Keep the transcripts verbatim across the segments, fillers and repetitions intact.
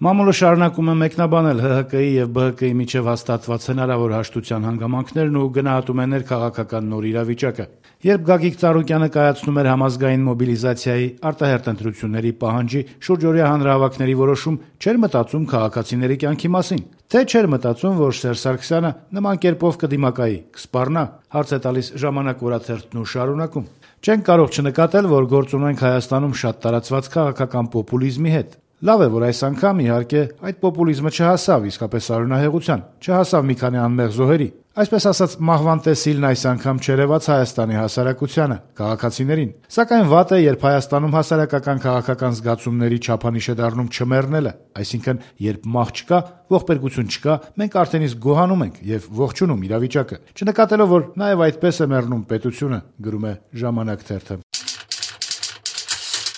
Մամուլը շարունակում է մեկնաբանել Հ Հ Կի եւ Բը Հ Կի միջեւ հաստատված հնարավոր հաշտության հանգամանքներն ու գնահատում է ներքաղաքական նոր իրավիճակը։ Երբ Գագիկ Ծառուկյանը կայացնում էր համազգային մոբիլիզացիայի, արտահերթ ընտրությունների պահանջի, շուրջօրյա հանրահավաքների որոշում, չէր մտածում քաղաքացիների կյանքի մասին, թե չէր մտածում, որ Սերժ Սարգսյանը նման կերպով կդիմակայի, կսպառնա, հարց է տալիս «Ժամանակ» օրաթերթն ու շարունակում. «Չենք կարող չնկատել, որ գործ ունենք Հայաստանում շատ տարածված քաղաքական պոպուլիզմի հետ։ Լավ է, որ այս անգամ, իհարկե, այդ պոպուլիզմը չհասավ իսկապես արյունահեղության, չհասավ մի քանի անմեղ զոհերի, այսպես ասած մահվան տեսիլն այս անգամ չերևաց Հայաստանի հասարակությանը, քաղաքացիներին, սակայն վատ է, երբ Հայաստանում հասարակական քաղաքական զգացումների չափանիշ է դառնում չմեռնելը, այսինքն երբ մահ չկա, ողբերգություն չկա, մենք արդեն իսկ գոհանում ենք եւ ողջունում իրավիճակը, չնկատելով, որ նաեւ այդպես է մեռնում պետությունը», գրում է «Ժամանակ» թերթը։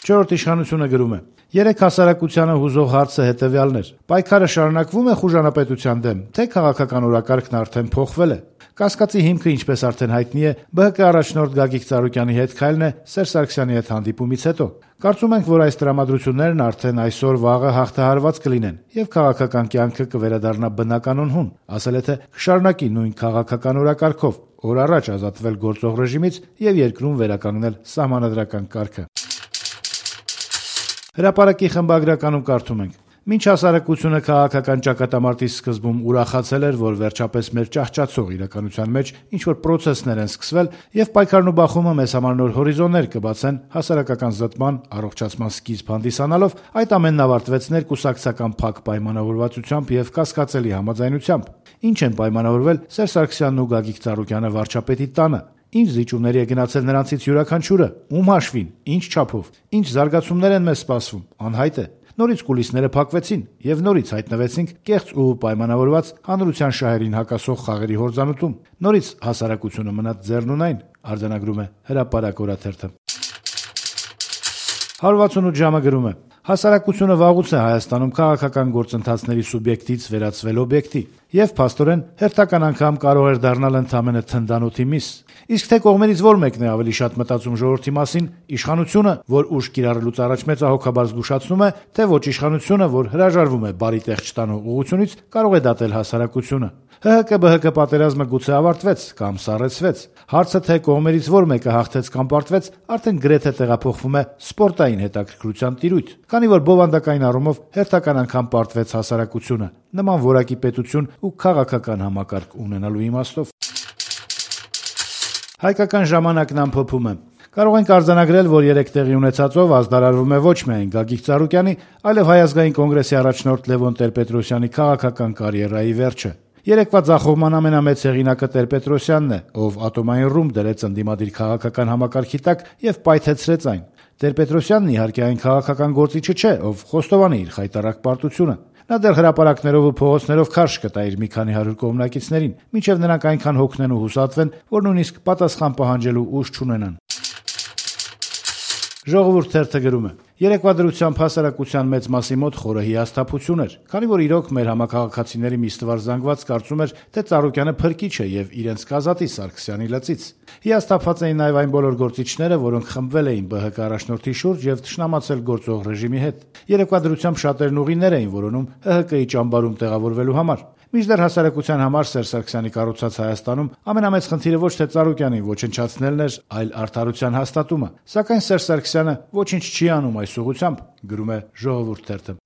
Չորրորդ իշխանությունը գրում է. «Երեք հասարակությանը հուզող հարցը հետեւյալն էր. պայքարը շարունակվում է խուժանապետության դեմ, թե քաղաքական օրակարգն արդեն փոխվել է։ Կասկածի հիմքը, ինչպես արդեն հայտնի է, Բը Հ Կի առաջնորդ Գագիկ Ծառուկյանի հետ քայլն է Սերժ Սարգսյանի հետ հանդիպումից հետո։ Կարծում ենք, որ այս տրամադրություններն արդեն այսօր-վաղը հաղթահարված կլինեն եւ քաղաքական կյանքը կվերադառնա բնականon հուն, ասել է, թե կշարունակի նույն քաղաքական օրակարգով օր առաջ ազատվել գործող ռեժիմից եւ երկրում վերականգնել սահմանադրական կարգը»։ Հրապարակի խմբագրականում կարդում ենք. «Մինչ հասարակությունը քաղաքական ճակատամարտի սկզբում ուրախացել էր, որ վերջապես մեր ճահճացող իրականության մեջ ինչ-որ պրոցեսներ են սկսվել եւ պայքարն ու բախումը մեզ համար նոր հորիզոններ կբացեն հասարակական զտման, առողջացման սկիզբ հանդիսանալով, այդ ամենն ավարտվեց ներկուսակցական փակ պայմանավորվածությամբ եւ կասկածելի համաձայնությամբ։ Ինչ են պայմանավորվել Սերժ Սարգսյանն ու Գագիկ Ծառուկյանը վարչապետի տանը։ Ինչ զիջումների է գնացել նրանցից յուրաքանչյուրը, ում հաշվին, ինչ չափով, ինչ զարգացումներ են մեզ սպասվում, անհայտ է։ Նորից կուլիսները փակվեցին եւ նորից հայտնվեցինք կեղծ ու պայմանավորված հանրության շահերին հակասող խաղերի հորձանուտում։ Նորից հասարակությունը մնաց ձեռնունայն», արձանագրում է Հրապարակ օրաթերթը։ հարյուր վաթսունութ ժամը գրում է. «Հասարակությունը վաղուց է Հայաստանում քաղաքական գործընթացների սուբյեկտից վերածվել օբյեկտի եւ փաստորեն հերթական անգամ կարող էր դառնալ ընդամենը թնդանոթի միս։ Իսկ թե կողմերից որ մեկն է ավելի շատ մտածում ժողովրդի մասին, իշխանությունը, որ ուժ կիրառելուց առաջ մեծահոգաբար զգուշացնում է, թե ոչ իշխանությունը, որ հրաժարվում է բարի տեղ չտանող ուղղությունից, կարող է դատել հասարակությունը։ Հ Հ Կի Բը Հ Կի պատերազմը գուցե ավարտվեց կամ սառեցվեց։ Հարցը, թե կողմերից որ մեկը հաղթեց կամ պարտվեց, արդեն գրեթե տեղափոխվում է սպորտային հետաքրքրության տիրույթ, քանի որ բովանդակային առումով հերթական անգամ պարտվեց հասարակությունը, նման որակի պետություն ու քաղաքական համակարգ ունենալու իմաստով»։ Հայկական ժամանակն ամփոփում է. «Կարող ենք արձանագրել, որ երեք տեղի ունեցածով ազդարարվում է ոչ միայն Գագիկ Ծառուկյանի, այլև Հայ ազգային կոնգրեսի առաջնորդ Լևոն Տեր-Պետրոսյանի քաղաքական կարիերայի վերջը։ Երեկվա ձախողման ամենամեծ հեղինակը Տեր-Պետրոսյանն է, ով ատոմային ռումբ դրեց ընդդիմադիր քաղաքական համակարգի տակ եւ պայթեցրեց այն։ Տեր-Պետրոսյանն իհարկե այն քաղաքական գործիչը չէ, ով խոստովանի իր խայտառակ պարտությունը։ Նա դեռ հրապարակներով ու փողոցներով քարշ կտա իր մի քանի հարյուր կողմնակիցներին, մինչև նրանք այնքան հոգնեն ու հուսատվեն, որ նույնիսկ պատասխան պահանջելու ուժ չունենան»։ Ժողովուրդ թերթը գրում է. «Երեկվա դրությամբ հասարակության մեծ մասի մոտ խորը հիասթափություն էր, քանի որ իրոք մեր համակարգացիների մի ստվար զանգված կարծում էր, թե Ծառուկյանը փրկիչ է եւ իրենց կազատի Սարգսյանի լծից։ Հիասթափված էին նաեւ այն բոլոր գործիչները, որոնք խմբվել էին Բը Հ Կի առաջնորդի շուրջ եւ թշնամացել գործող ռեժիմի հետ։ Երեկվա դրությամբ շատերն ուղիներ էին որոնում Հ Հ Կի ճամբարում տեղավորվելու համար։ Մինչդեռ հասարակության համար Սերժ Սարգսյանի կառուցած Հայաստանում ամենամեծ խնդիրը ոչ թե Ծառուկյանին ոչնչացնելն էր, այլ արդարության հաստատումը։ Սակայն Սերժ Սարգսյանը ոչինչ չի անում այս ուղղությամբ», գրում է Ժողովուրդ թերթը։